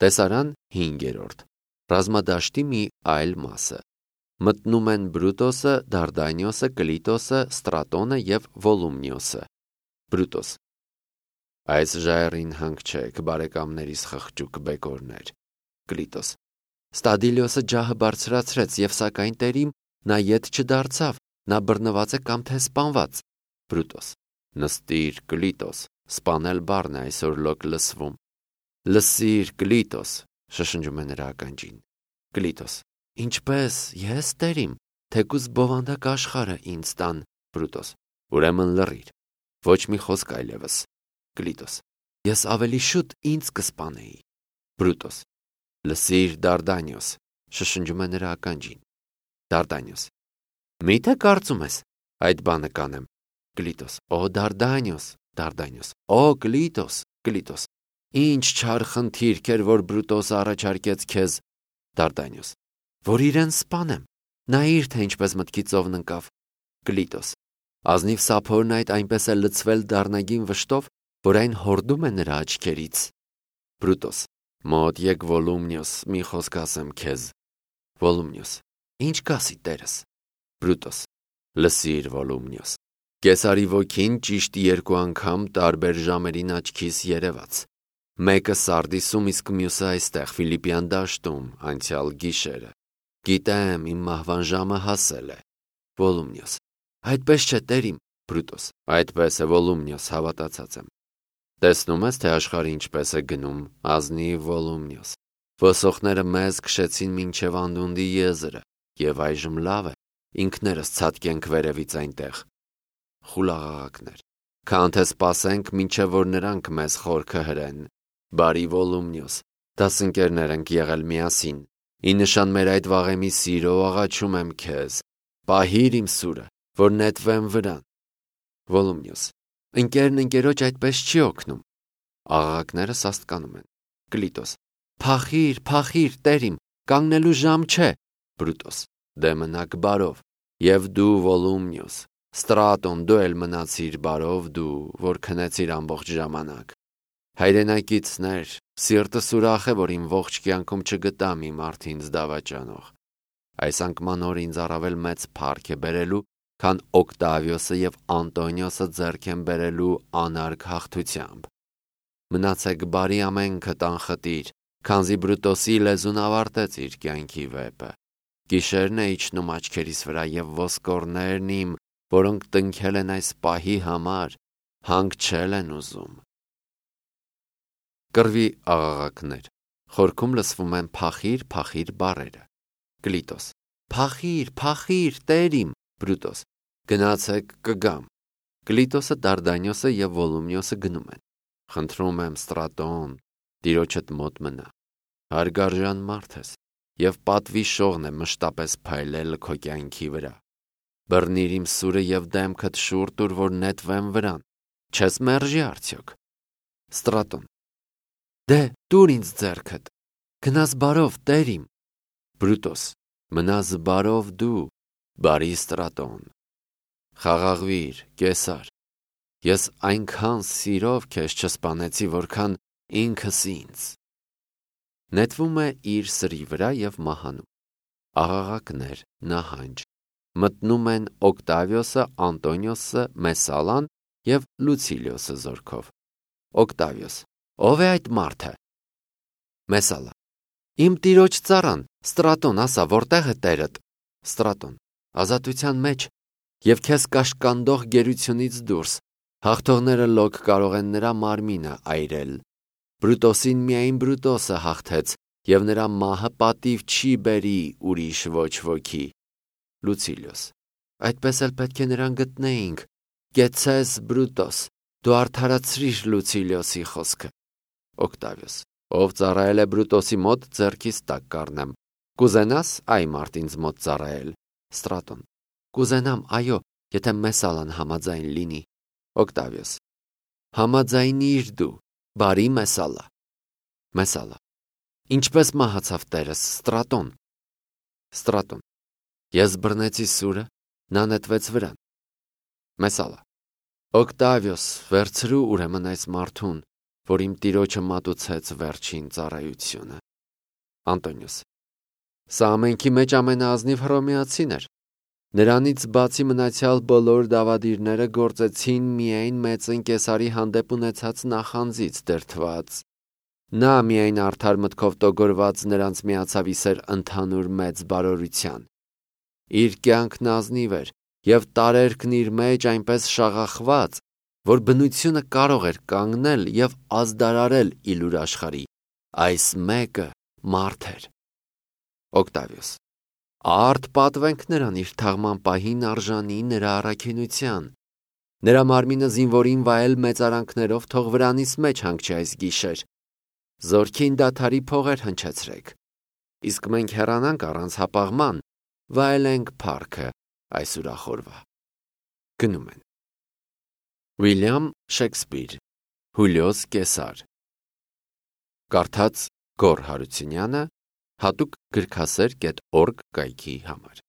Տեսարան 5. Ռազմադաշտի մի այլ մասը։ Մտնում են Բրուտոսը, Դարդանիոսը, Կլիտոսը, Ստրատոնը և Վոլումնիոսը։ Բրուտոս. այս ժայռին հանք չեք, բարեկամներիս խղճուկ բեկորներ։ Կլիտոս. Ստադիլիոսը ջահը բարձրացրեց և սակայն տերիմ նա ետ չդարձավ, նա բռնված է կամ թե սպանված։ Բրուտոս. նստիր, Կլիտոս, սպանել բառն է այսօր լոկ լսվում։ Լսիր, Կլիտոս, շշնջում է նրա ականջին։ Կլիտոս. ինչպես, ես տերիմ, թեկուզ բովանդակ աշխարհը ինձ տան։ Բրուտոս. ուրեմն լռիր, ոչ մի խոսք այլևս։ Կլիտոս. ես ավելի շուտ ինձ կսպանեի։ Բրուտոս. լսիր, Դարդանիոս, շշնջում է նրա ականջին։ Դարդանիոս. միթե կարծում ես այդ բանը կանեմ։ Կլիտոս. օ Դարդանիոս, Դարդանիոս. օ Կլիտոս, Կլիտոս. ինչ չար խնդիրք էր, որ Բրուտոսը առաջարկեց քեզ։ Դարդանիոս. որ իրեն սպանեմ, նայիր, թե ինչպես մտքի ծովն ընկավ։ Կլիտոս. ազնիվ սափորն այդ այնպես է լցվել դառնագին վշտով, որ այն հորդում է նրա աչքերից։ Բրուտոս. մոտ եկ Վոլումնիոս, մի խոսք ասեմ քեզ։ Վոլումնիոս. ինչ կասի տերս։ Բրուտոս. լսիր, Վոլումնիոս, Կեսարի ոգին ճիշտ 2 անգամ տարբեր ժամերին աչքիս երևաց։ Մեկը Սարդիսում, իսկ մյուսը այստեղ Ֆիլիպյան դաշտում, անցյալ գիշերը։ Գիտեմ, իմ մահվան ժամը հասել է։ Վոլումնիոս. այդպես չէ, տերիմ։ Բրուտոս. այդպես է, Վոլումնիոս, հավատացած եմ։ Տեսնում ես, թե աշխարհը ինչպես է գնում, ազնիվ Վոլումնիոս։ Ոսոխները մեզ քշեցին մինչև անդունդի եզրը, և այժմ լավ է, ինքներս ցատկենք վերևից այնտեղ։ Խուլաղաղակներ, քան թե սպասենք, մինչև որ նրանք մեզ խորքը հրեն։ Բարի Վոլումնիոս, դասընկերներ ենք եղել միասին։ Ի նշան մեր այդ վաղեմի սիրո աղաչում եմ քեզ, պահիր իմ սուրը, որ նետվեմ վրան։ Վոլումնիոս. ընկերն ընկերոջ այդպես չի օգնում։ Աղաղակները սաստկանում են։ Կլիտոս. փախիր, փախիր, տերիմ, կանգնելու ժամ չէ։ Բրուտոս. դե մնաք բարով։ Եվ դու, Վոլումնիոս, Ստրատոն, դու էլ մնացիր բարով, դու, որ քնեցիր ամբողջ ժամանակ։ Հայրենակիցներ, սիրտս ուրախ է, որ իմ ողջ կյանքում չգտամ իմ արդ ինձ դավաճանող։ Այս անկման օր ինձ առավել մեծ փառք է բերելու, քան Օկտավիոսը և Անտոնիոսը ձեռք են բերելու անարգ հաղթությամբ։ Մնացեք բարի ամենքդ անխտիր, քանզի Բրուտոսի լեզուն ավարտեց իր կյանքի վեպը։ Գիշերն է իջնում աչքերիս վրա և ոսկորներն իմ, որոնք տնքել են այս պահի համար, հանգչել են ուզում։ Կռվի աղաղակներ, խորքում լսվում են փախիր, փախիր բառերը։ Կլիտոս. փախիր, փախիր, տերիմ։ Բրուտոս. գնացեք, կգամ։ Կլիտոսը, Դարդանիոսը և Վոլումնիոսը գնում են։ Խնդրում եմ, Ստրատոն, տիրոջդ մոտ մնա։ Հարգարժան մարդ ես, և պատվի շողն է մշտապես փայլել քո կյանքի վրա։ Բռնիր իմ սուրը և դեմքդ շուռ տուր, որ նետվեմ վրան։ Չես մերժի արդյոք։ Ստրատոն. դե տուր ինձ ձեռքդ, գնաս բարով, տերիմ։ Բրուտոս. մնաս բարով դու, բարի Ստրատոն։ Խաղաղվիր, Կեսար, ես այնքան սիրով քեզ չսպանեցի, որքան ինքս ինձ։ Նետվում է իր սրի վրա և մահանում։ Աղաղակներ, նահանջ։ Մտնում են Օկտավիոսը, Անտոնիոսը, Մեսալան և Լուցիլիոսը զորքով։ Օկտավիոս. ով է այդ մարդը։ Մեսալա. իմ տիրոջ ծառան, Ստրատոն, ասա, որտեղ է տերդ։ Ստրատոն. ազատության մեջ և քեզ կաշկանդող գերությունից դուրս, հաղթողները լոկ կարող են նրա մարմինը այրել։ Բրուտոսին միայն Բրուտոսը հաղթեց, և նրա մահը պատիվ չի բերի ուրիշ ոչ ոքի։ Լուցիլիոս. այդպես էլ պետք է նրան գտնեինք։ Կեցես, Բրուտոս, դու արդարացրիր Լուցիլիոսի խոսքը։ Օկտավիոս. ով ծառայել է Բրուտոսի մոտ, ձեռքիս տակ կառնեմ։ Կուզենաս այ մարդ ինձ մոտ ծառայել։ Ստրատոն. կուզենամ, այո, եթե Մեսալան համաձայն լինի։ Օկտավիոս. համաձայնիր դու, բարի Մեսալա։ Մեսալա. ինչպես մահացավ տերս, Ստրատոն։ Ստրատոն. ես բռնեցի սուրը, նա նետվեց վրան։ Մեսալա. Օկտավիոս, վերցրու ուրեմն այս մարդուն, որ իմ տիրոջը մատուցեց վերջին ծառայությունը։ Անտոնիոս. Սա ամենքի մեջ ամենաազնիվ հռոմեացին էր։ Նրանից բացի մնացյալ բոլոր դավադիրները գործեցին միայն մեծն Կեսարի հանդեպ ունեցած նախանձից դրդված։ Նա միայն արդար մտքով տոգորված նրանց միացավ իսեր ընդհանուր մեծ բարօրության։ Իր կյանքն ազնիվ էր և տարերքն իր մեջ այնպես շաղախված, որ բնությունը կարող էր կանգնել և ազդարարել իլուր աշխարհի։ Այս մեկը մարդ էր։ Օկտավիոս. Արդ պատվենք նրան իր թաղման պահին արժանի նրա առաքինության։ Նրա մարմինը զինվորին վայել մեծարանքներով թող վրանիս մեջ հանգչի այս գիշեր։ Զորքին դադարի փողեր հնչեցրեք։ Իսկ մենք հեռանանք առանց հապաղման, վայելենք փառքը այս ուրախորվա։ Գնում են։ Ուիլյամ Շեքսպիր, Հուլիոս Կեսար։ Կարդաց Գոռ Հարությունյանը, հատուկ գրքասեր.org կայքի համար։